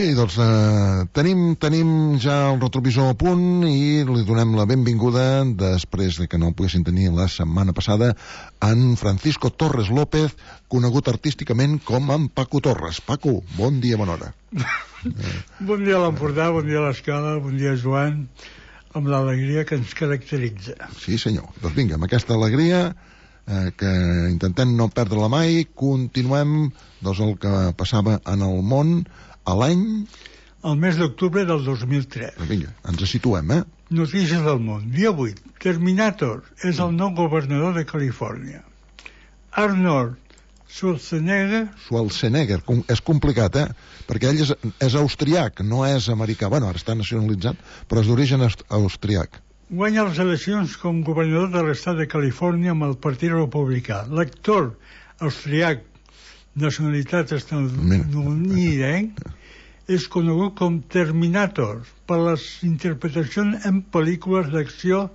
Bé, doncs tenim ja el retrovisor a punt i li donem la benvinguda, després de que no el poguessin tenir la setmana passada, en Francisco Torres López, conegut artísticament com en Paco Torres. Paco, bon dia, bona hora. Bon dia a l'Empordà, bon dia a l'Escala, bon dia Joan, amb l'alegria que ens caracteritza. Sí, senyor. Doncs vinga, amb aquesta alegria que intentem no perdre-la mai, continuem doncs, el que passava en el món a l'any... El mes d'octubre del 2003. Vinga, ens situem, Notícies del món. Dia 8. Terminator és el nou governador de Califòrnia. Arnold Schwarzenegger... Schwarzenegger, és complicat, perquè ell és austriac, no és americà. Bueno, ara està nacionalitzat, però és d'origen austriac. Guanya les eleccions com governador de l'estat de Califòrnia amb el Partit Republicà. L'actor austriac, nacionalitat estatunidenc, és conegut com Terminator per les interpretacions en pel·lícules d'acció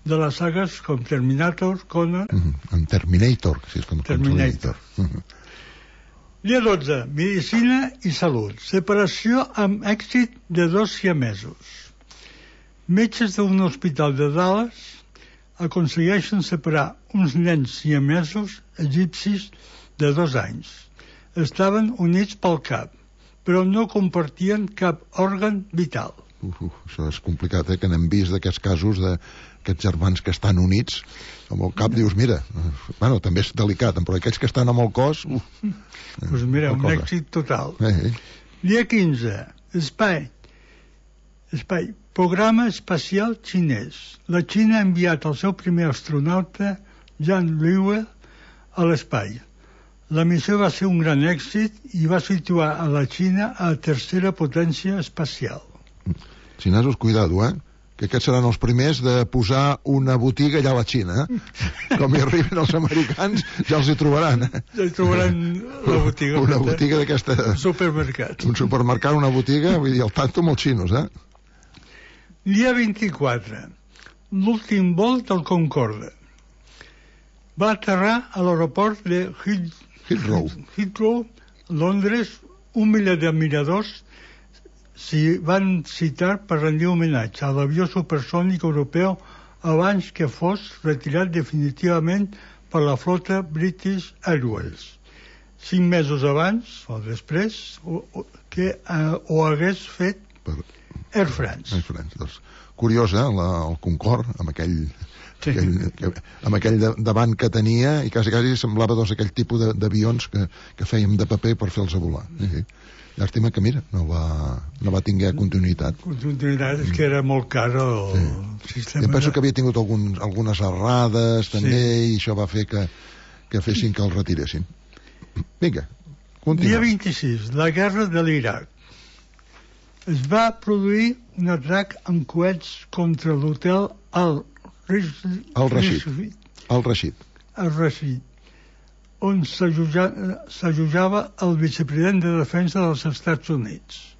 de les sagues com Terminator, Conan... En Terminator, si és com Terminator. Dia 12. Medicina i salut. Separació amb èxit de 2 siamesos. Metges d'un hospital de Dallas aconsegueixen separar uns nens siamesos egipcis de 2 anys. Estaven units pel cap, però no compartien cap òrgan vital. Això és complicat, que n'hem vist d'aquests casos d'aquests germans que estan units amb el cap, dius, mira, bueno, també és delicat, però aquells que estan amb el cos... Doncs mira, un èxit total. Dia 15. Espai. Programa espacial xinès. La Xina ha enviat el seu primer astronauta, Jan Liwei, a l'espai. La missió va ser un gran èxit i va situar a la Xina a la tercera potència espacial. Xinesos, cuidado, que aquests seran els primers de posar una botiga allà a la Xina. Com hi arriben els americans, ja els hi trobaran. Ja hi trobaran la botiga. Una botiga d'aquesta... Un supermercat. Un supermercat, una botiga, vull dir, el tanto amb els xinos, Dia 24. L'últim vol del Concorde. Va aterrar a l'aeroport de Heathrow, Londres. 1 milió d'admiradors s'hi van citar per rendir homenatge a l'avió supersònic europeu abans que fos retirat definitivament per la flota British Airways. 5 mesos abans, o després, que ho hagués fet Air France. Doncs, curiós, el Concorde, amb aquell davant que tenia, i quasi semblava aquell tipus d'avions que fèiem de paper per fer-los volar. Llàstima que, mira, no va tinguer continuïtat. Continuïtat, és que era molt car el sistema. Jo penso que havia tingut algunes errades, també, i això va fer que fessin que el retiressin. Vinga, continua. Dia 26, la guerra de l'Iraq. Es va produir un atac amb coets contra l'hotel Al-Rashid, on s'allotjava el vicepresident de Defensa dels Estats Units.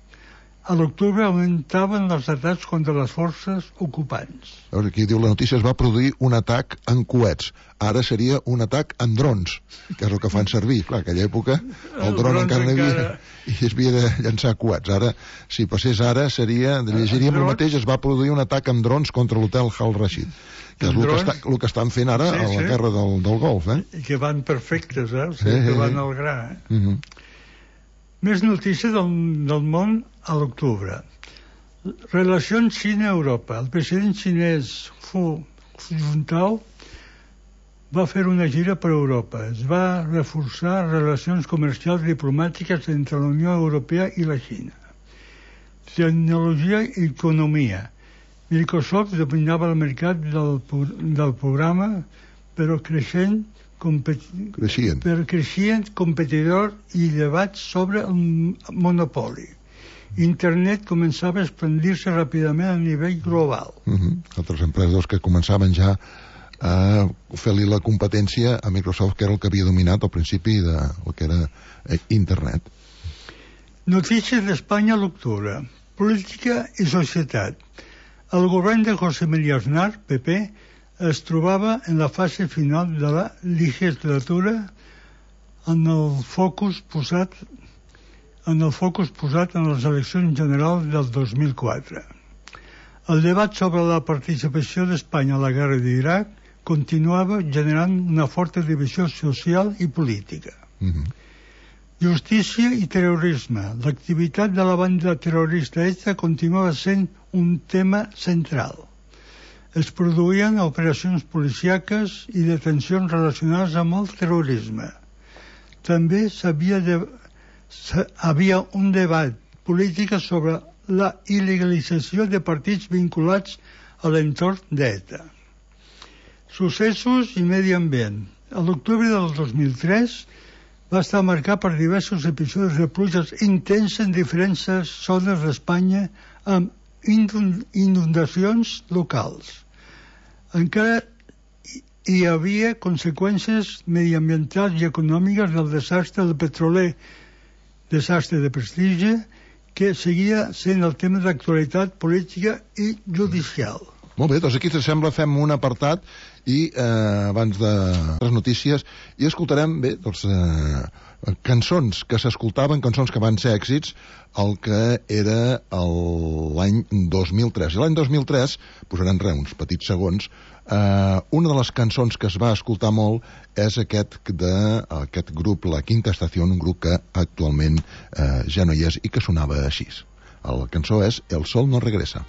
A l'octubre augmentaven els atacs contra les forces ocupants. Aquí diu la notícia, es va produir un atac en coets. Ara seria un atac en drons, que és el que fan servir. Clar, aquella època el dron encara no hi havia i es havia de llançar coets. Ara, si passés ara, llegiríem el mateix, es va produir un atac amb drons contra l'hotel Al-Rashid, que és el que estan fent ara a la guerra del Golf. I que van perfectes, que van al gra. Més notícies del món a l'octubre. Relacions Xina-Europa. El president xinès Hu Jintao va fer una gira per Europa. Es va reforçar relacions comercials diplomàtiques entre la Unió Europea i la Xina. Tecnologia i economia. Microsoft dominava el mercat del programa, però creixent competidor i debats sobre el monopoli. Internet començava a expandir-se ràpidament a nivell global. Altres empreses que començaven ja a fer-li la competència a Microsoft, que era el que havia dominat al principi del que era Internet. Notícies d'Espanya a l'octubre. Política i societat. El govern de José María Aznar, PP, es trobava en la fase final de la legislatura amb el focus posat en el focus posat en les eleccions generals del 2004. El debat sobre la participació d'Espanya a la guerra d'Iraq continuava generant una forta divisió social i política. Justícia i terrorisme. L'activitat de la banda terrorista ETA continuava sent un tema central. Es produïen operacions policíaques i detencions relacionades amb el terrorisme. També havia un debat polític sobre la il·legalització de partits vinculats a l'entorn d'ETA. Successos i medi ambient. A l'octubre del 2003 va estar marcat per diversos episodis de pluges intenses en diferents zones d'Espanya amb inundacions locals. Encara hi havia conseqüències mediambientals i econòmiques del desastre del petroler, desastre de prestigi, que seguia sent el tema d'actualitat política i judicial. Molt bé, doncs aquí, si sembla, fem un apartat i abans de les notícies i escoltarem, bé, doncs, cançons que s'escoltaven, cançons que van ser èxits, el que era l'any 2003. I l'any 2003, posarem uns petits segons, una de les cançons que es va escoltar molt és aquest grup, La Quinta Estación, un grup que actualment ja no hi és i que sonava així. La cançó és El sol no regresa.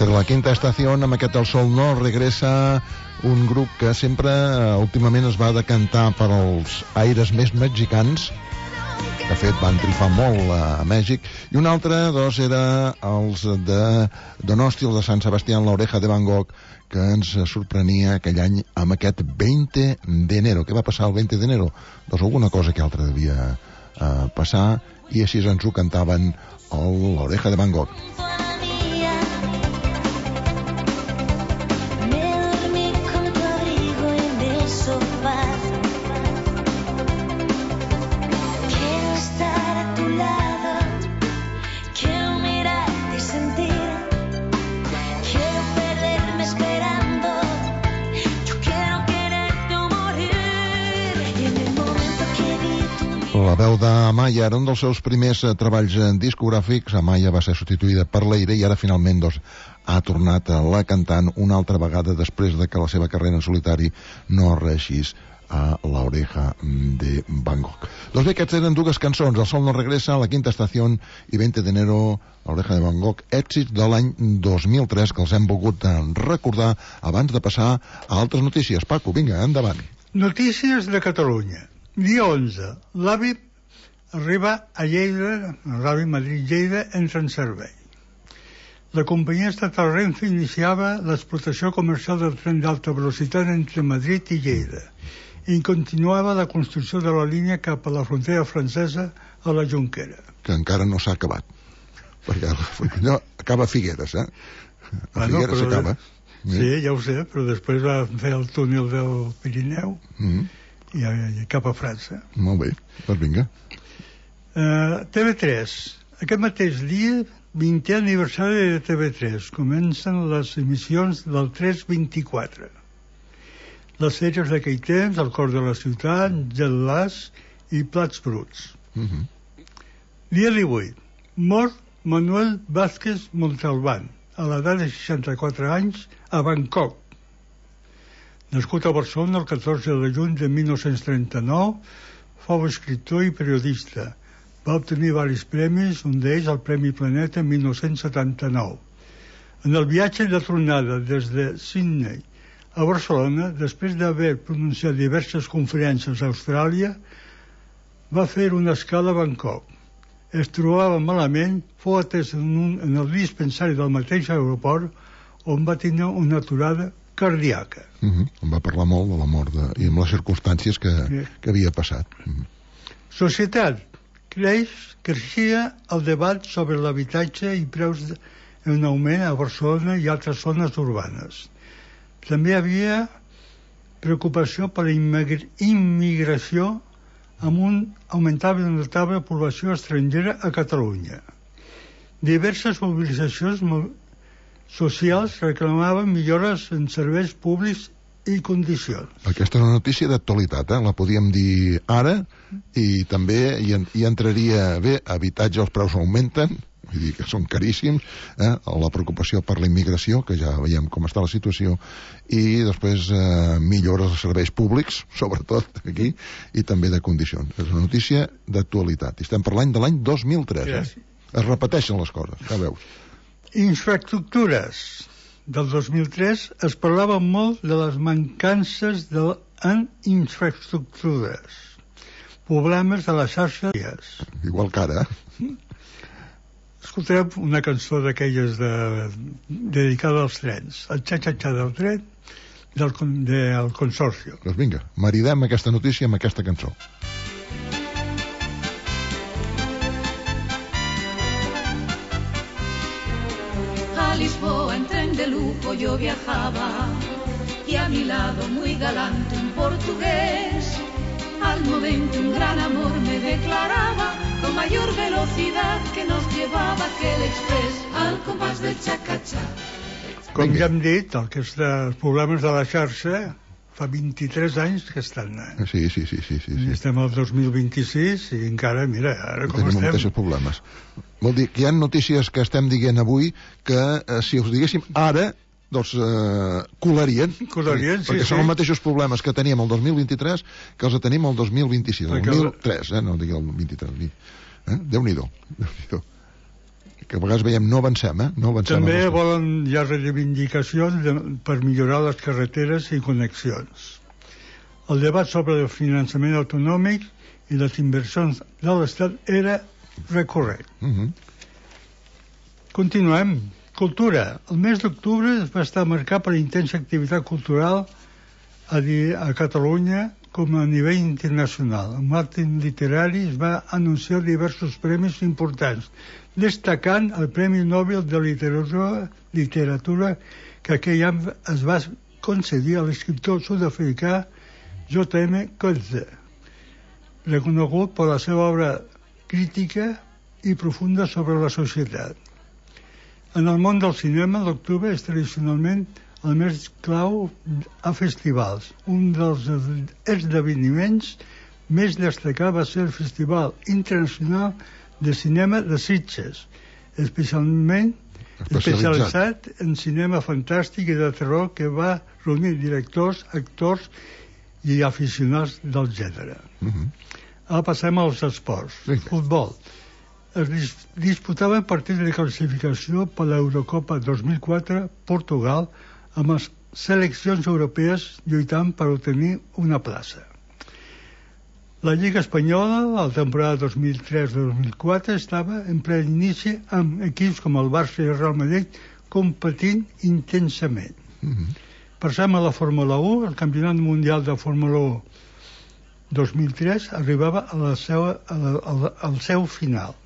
La Quinta Estació, amb aquest El sol no regresa, un grup que sempre últimament es va decantar per als aires més mexicans, de fet van trifar molt a Mèxic, i un altre era els de Donosti, els de Sant Sebastián, La Oreja de Van Gogh, que ens sorprenia aquell any amb aquest 20 d'enero. Què va passar el 20 d'enero? Doncs alguna cosa que altra devia passar, i així ens ho cantaven La Oreja de Van Gogh. La veu d'Amaya era un dels seus primers treballs discogràfics. Amaya va ser substituïda per Leire i ara finalment ha tornat a la cantant una altra vegada després de que la seva carrera en solitari no reeixís a La Oreja de Van Gogh. Doncs bé, aquestes eren dues cançons, El sol no regresa, La Quinta Estación i 20 d'enero, La Oreja de Van Gogh, èxits de l'any 2003 que els hem volgut recordar abans de passar a altres notícies. Paco, vinga, endavant. Notícies de Catalunya. Dia 11. L'AVI arriba a Lleida, l'AVI Madrid-Lleida entra en servei. La companyia estatal Renfe iniciava l'explotació comercial del tren d'alta velocitat entre Madrid i Lleida i continuava la construcció de la línia cap a la frontera francesa a la Jonquera. Que encara no s'ha acabat, perquè allò acaba a Figueres, A Figueres s'acaba. Sí, ja ho sé, però després va fer el túnel del Pirineu i cap a França. Molt bé, doncs vinga. TV3. Aquest mateix dia, 20è aniversari de TV3. Comencen les emissions del 324. Les sèries d'aquell temps, El cor de la ciutat, Gel Las i Plats bruts. Dia 18. Mort Manuel Vázquez Montalbán, a l'edat de 64 anys, a Bangkok. Nascut a Barcelona el 14 de juny de 1939, fou escriptor i periodista. Va obtenir diversos premis, un d'ells el Premi Planeta en 1979. En el viatge de tornada des de Sydney a Barcelona, després d'haver pronunciat diverses conferències a Austràlia, va fer una escala a Bangkok. es trobava malament, fou atès en el dispensari del mateix aeroport, on va tenir una aturada cardíaca. En va parlar molt de la mort i amb les circumstàncies que havia passat. Societat. Creixia el debat sobre l'habitatge i preus en augment a Barcelona i altres zones urbanes. També hi havia preocupació per la immigració amb un augmentable i notable població estrangera a Catalunya. Diverses mobilitzacions socials reclamaven millores en serveis públics i condicions. Aquesta és una notícia d'actualitat, la podíem dir ara, i també hi entraria bé, habitatge, els preus augmenten, vull dir que són caríssims, la preocupació per la immigració, que ja veiem com està la situació, i després millores dels serveis públics, sobretot aquí, i també de condicions. És una notícia d'actualitat. I estem parlant de l'any 2003, Es repeteixen les coses, ja veus. Infraestructures. Del 2003 es parlava molt de les mancances en infraestructures, problemes de la xarxa. Igual que ara. Escoltarem una cançó d'aquelles dedicada als trens, el xa-xa-xa del tren del Consorcio. Doncs vinga, maridem aquesta notícia amb aquesta cançó. A Lisboa en tren de lujo yo viajaba y a mi lado muy galante un portugués. Al momento un gran amor me declaraba con mayor velocidad que nos llevaba aquel express al compás del cha-cha-cha. Com ja hem dit, els problemes de la xarxa fa 23 anys que estan. Sí. Estem al 2026 i encara, mira, ara com tenim estem. Tenim mateixos problemes. Vol dir que hi ha notícies que estem dient avui que si us diguéssim ara, doncs colarien, perquè són els mateixos problemes que teníem el 2023 que els tenim el 2026, el 2003, no digui el 23. Déu-n'hi-do. Que a vegades veiem no avancem, no avancem. També volen ja reivindicacions per millorar les carreteres i connexions. El debat sobre el finançament autonòmic i les inversions de l'Estat era recurrent. Continuem. Cultura. El mes d'octubre es va estar marcat per intensa activitat cultural a Catalunya com a nivell internacional. En l'àmbit literari es va anunciar diversos premis importants, destacant el Premi Nobel de Literatura que aquell any es va concedir a l'escriptor sud-africà J.M. Coetzee, reconegut per la seva obra crítica i profunda sobre la societat. En el món del cinema, l'octubre és tradicionalment el mes clau a festivals. Un dels esdeveniments més destacats va ser el Festival Internacional de Cinema de Sitges, especialitzat en cinema fantàstic i de terror, que va reunir directors, actors i aficionats del gènere. Ara passem als esports. Futbol. Es disputaven partits de classificació per l'Eurocopa 2004 Portugal, amb les seleccions europees lluitant per obtenir una plaça. La Lliga Espanyola, la temporada 2003-2004, estava en ple inici amb equips com el Barça i el Real Madrid competint intensament. Passem a la Fórmula 1. El Campionat Mundial de Fórmula 1 2003 arribava al seu final.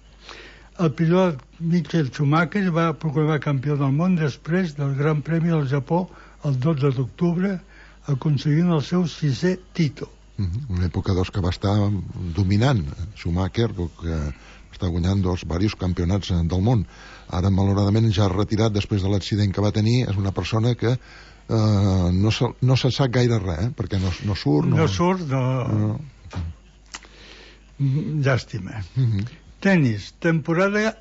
El pilot Michael Schumacher va proclamar campió del món després del Gran Premi del Japó el 12 d'octubre, aconseguint el seu 6è títol. Una època que va estar dominant Schumacher, que està guanyant diversos campionats del món. Ara, malauradament, ja retirat després de l'accident que va tenir. És una persona que no se sap gaire res, perquè no surt. No surt, no. Llàstima. Tenis. Temporada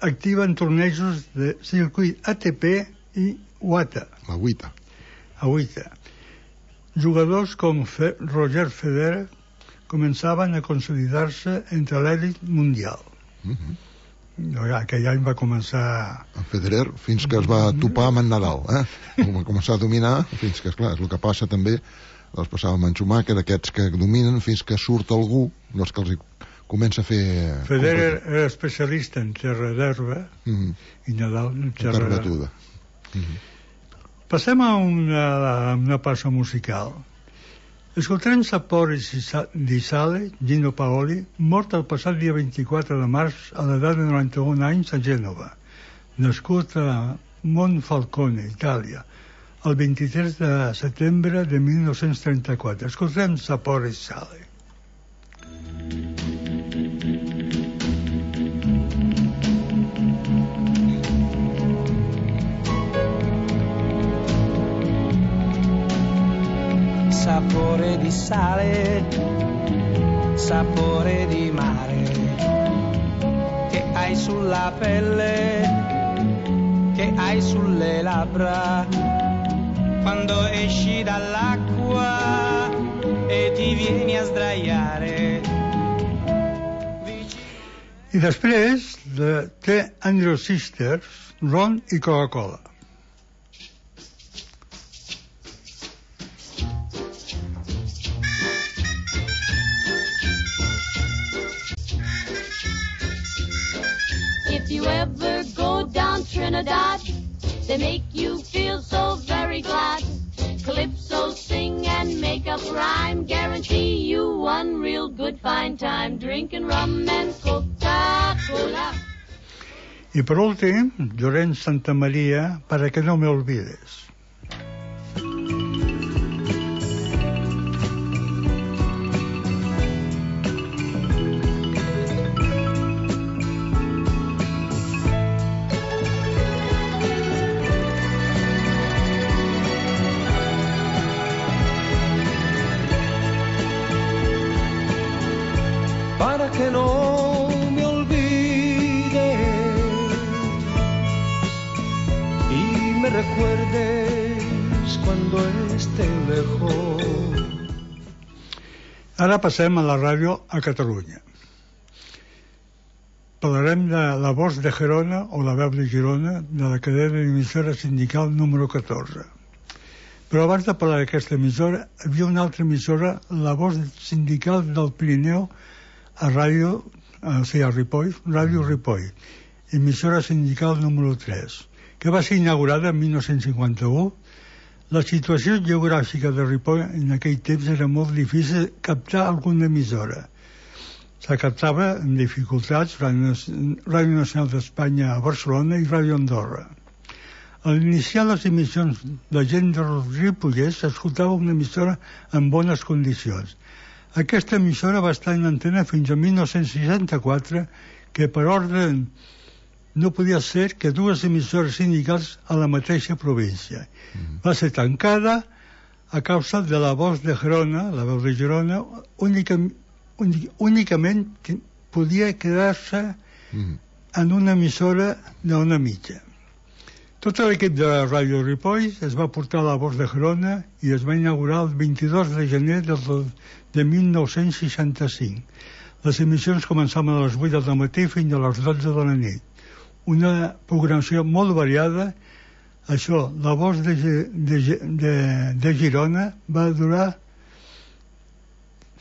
activa en tornejos de circuit ATP i WTA. La WTA. Jugadors com Roger Federer començaven a consolidar-se entre l'èlit mundial. Aquell any va començar... En Federer, fins que es va topar amb en Nadal, va començar a dominar, fins que, esclar, és el que passa també, els passava amb en Schumacher, aquests que dominen fins que surt algú, no és que els comença a fer... Federer era especialista en terra d'herba i Nadal en terra batuda. Passem a una passa musical. Escoltarem Sapore di Sale, Gino Paoli, mort el passat dia 24 de març a l'edat de 91 anys a Gènova, nascut a Monfalcone, Itàlia, el 23 de setembre de 1934. Escoltarem Sapore di Sale. Sapore di sale, sapore di mare, che hai sulla pelle, che hai sulle labbra, quando esci dall'acqua e ti vieni a sdraiare. I després de The Andrews Sisters, ron i Coca-Cola. If you ever go down Trinidad, they make you feel so very glad. Calypso sing and make up rhyme, guarantee you one real good fine time, drinking rum and Coca-Cola. Y por últim, Llorenç Santamaria, Para que no me olvides. Para que no me olvides y me recuerdes cuando esté lejos. Ara passem a la ràdio a Catalunya. Parlarem de La Voz de Gerona o La Veu de Girona, de la cadena d'emissora sindical número 14. Però abans de parlar d'aquesta emissora, hi havia una altra emissora, La Voz Sindical del Pirineu, a ràdio, a Ripoll, Ràdio Ripoll, emissora sindical número 3, que va ser inaugurada en 1951. La situació geogràfica de Ripoll en aquell temps era molt difícil captar alguna emissora. Se captava amb dificultats Ràdio Nacional d'Espanya a Barcelona i Ràdio Andorra. A l'iniciar les emissions de gent de Ripollès s'escoltava una emissora en bones condicions. Aquesta emissora va estar en antena fins a 1964, que per ordre no podia ser que dues emissores sindicals a la mateixa província. Va ser tancada a causa de La Voz de Gerona, La Veu de Girona, únicament podia quedar-se en una emissora d'ona mitja. Tot l'equip de Ràdio Ripoll es va portar a La Voz de Gerona i es va inaugurar el 22 de gener de 1965. Les emissions començaven a les 8 del matí fins a les 12 de la nit. Una programació molt variada. Això, La Voz de Girona va durar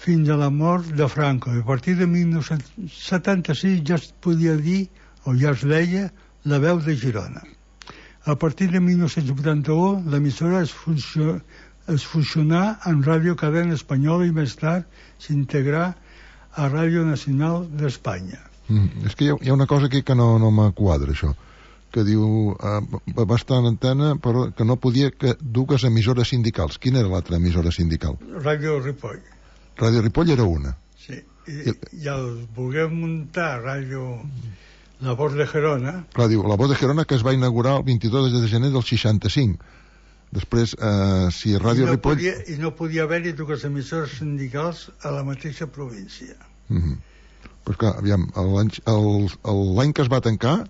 fins a la mort de Franco. A partir de 1976 ja es podia dir, o ja es deia, La Veu de Girona. A partir de 1981, l'emissora es fusionà en Ràdio Cadena Espanyola i més tard s'integrà a Ràdio Nacional d'Espanya. És que hi ha una cosa aquí que no m'quadra, això, que diu va estar en antena però que no podia que dues emissores sindicals. Quina era l'altra emissora sindical? Ràdio Ripoll. Ràdio Ripoll era una. Sí, i el volguem muntar Ràdio La Voz de Gerona. Clar, diu, La Voz de Gerona, que es va inaugurar el 22 de gener del 65. Després, si Ràdio Ripoll... I no podia haver-hi dues emissores sindicals a la mateixa província. Pues clar, aviam, l'any que es va tancar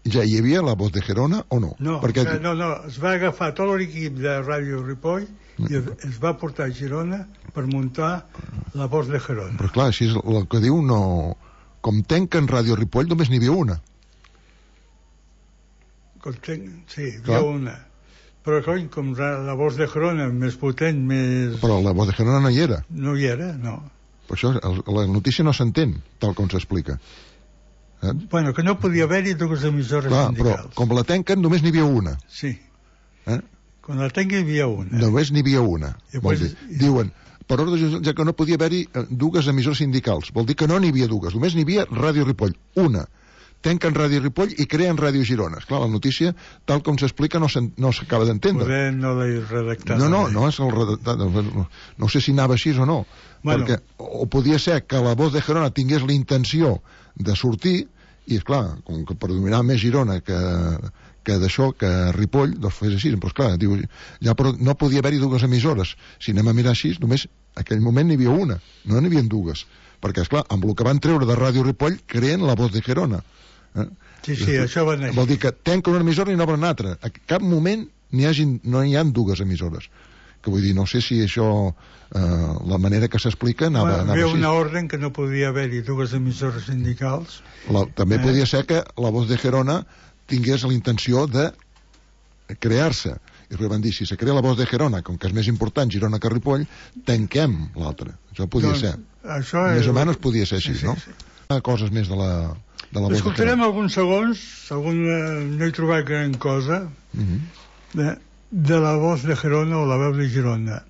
ja hi havia La Voz de Gerona o no? No, es va agafar tot l'equip de Ràdio Ripoll i es va portar a Girona per muntar La Voz de Gerona. Però clar, així és el que diu, no... Com tanquen Ràdio Ripoll només n'hi havia una. Sí, hi havia una. Però com La Voz de Gerona més potent, més... Però La Voz de Gerona no hi era. No hi era, no. Per això la notícia no s'entén, tal com s'explica. Bueno, que no podia haver-hi dues emissores sindicals. Però com la tanquen només n'hi havia una. Sí. Quan la tanquen hi havia una. Només n'hi havia una. Diuen, per ordre ja que no podia haver-hi dues emissores sindicals. Vol dir que no n'hi havia dues, només n'hi havia Ràdio Ripoll, una. Tanquen Ràdio Ripoll i creen Ràdio Girona. Esclar, la notícia, tal com s'explica, no s'acaba d'entendre. Poder no l'he redactat. No és el redactat. No sé si anava així o no. Bueno. Perquè o podia ser que la Voz de Gerona tingués la intenció de sortir, i esclar, com que predominava més Girona que d'això, que Ripoll, doncs fes així. Però esclar, diu, ja no podia haver-hi dues emissores. Si anem a mirar així, només en aquell moment n'hi havia una, no n'hi havia dues. Perquè, esclar, amb el que van treure de Ràdio Ripoll, creen la Voz de Gerona. Sí, això va anar. Vol dir que tanca una emissora i n'obre una altra. A cap moment no hi ha dues emissores. Que vull dir, no sé si això, la manera que s'explica anava així. Hi havia una ordre que no podia haver-hi dues emissores sindicals. També podia ser que la Voz de Gerona tingués la intenció de crear-se. I després van dir, si se crea la Voz de Gerona, com que és més important Girona que Ripoll, tanquem l'altra. Això podia ser. Més o menys podia ser així, no? Coses més de la Voz de Gerona. Escoltarem alguns segons, no he trobat gran cosa, de la Voz de Gerona o la veu de Girona.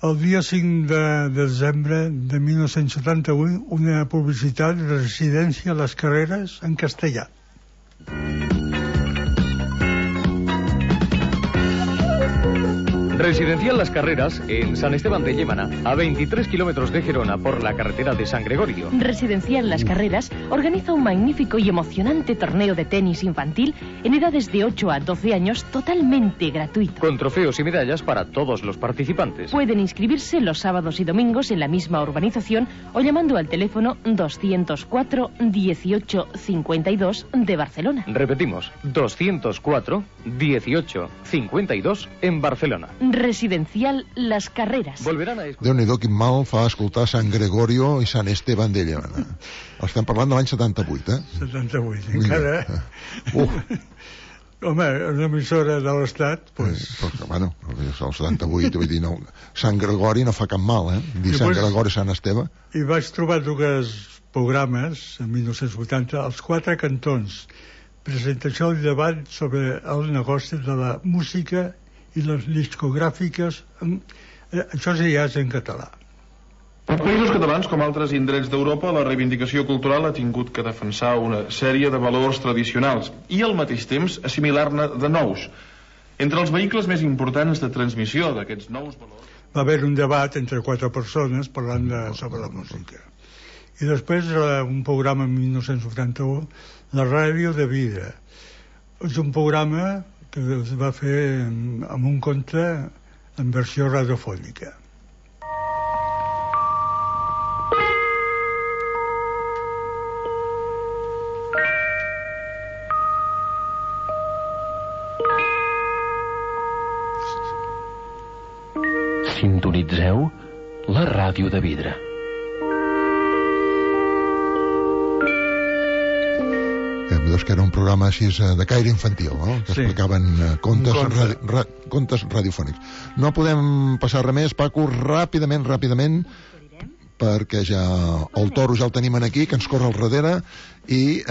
El dia 5 de desembre de 1971, una publicitat de residència a les Carreres en castellà. Residencial Las Carreras, en San Esteban de Llémana, a 23 kilómetros de Gerona por la carretera de San Gregorio. Residencial Las Carreras organiza un magnífico y emocionante torneo de tenis infantil en edades de 8 a 12 años totalmente gratuito. Con trofeos y medallas para todos los participantes. Pueden inscribirse los sábados y domingos en la misma urbanización o llamando al teléfono 204 18 52 de Barcelona. Repetimos, 204 18 52 en Barcelona. Residencial Las Carreras. Volverán a escuchar. Déu-n'hi-do, quin mal fa escoltar San Gregorio i San Esteban de Llémana. Estem parlant de l'any 78, 78, encara. Home, una emissora de l'Estat, doncs... Bueno, el 78, vull dir, no, Sant Gregori no fa cap mal, dir Sant Gregori i Sant Esteve. I vaig trobar dues programes, en 1980, als 4 cantons. Presentació i debat sobre el negoci de la música i les discogràfiques, això ja és en català. En països catalans, com altres indrets d'Europa, la reivindicació cultural ha tingut que defensar una sèrie de valors tradicionals i al mateix temps assimilar-ne de nous. Entre els vehicles més importants de transmissió d'aquests nous valors... Va haver un debat entre 4 persones parlant sobre la música. I després un programa en 1981, la Ràdio de Vida. És un programa que es va fer amb un conte en versió radiofònica. Sintonitzeu la ràdio de vidre. Que era un programa així de caire infantil, no? Que explicaven contes radiofònics. No podem passar res més, Paco, ràpidament, perquè ja el toro ja el tenim aquí, que ens corre al darrere, i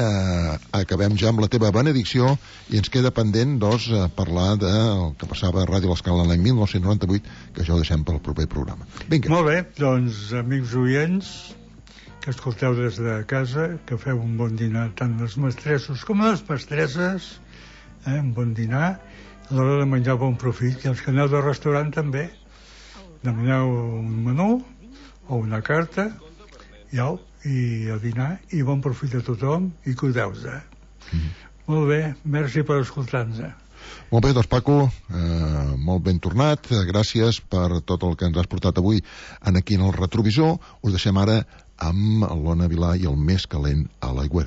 acabem ja amb la teva benedicció, i ens queda pendent, doncs, parlar del que passava a Ràdio L'Escala l'any 1998, que això ho deixem pel proper programa. Vinga. Molt bé, doncs, amics oients, que escolteu des de casa, que feu un bon dinar, tant els mestressos com les mestresses, un bon dinar, a l'hora de menjar bon profit, i els que aneu del restaurant també, demaneu un menú o una carta, i a dinar, i bon profit a tothom, i cuideu-vos. Molt bé, merci per escoltar-nos. Molt bé, doncs Paco, molt ben tornat, gràcies per tot el que ens has portat avui aquí en el retrovisor. Us deixem ara amb l'Ona Vilà i el més calent a l'aigüera.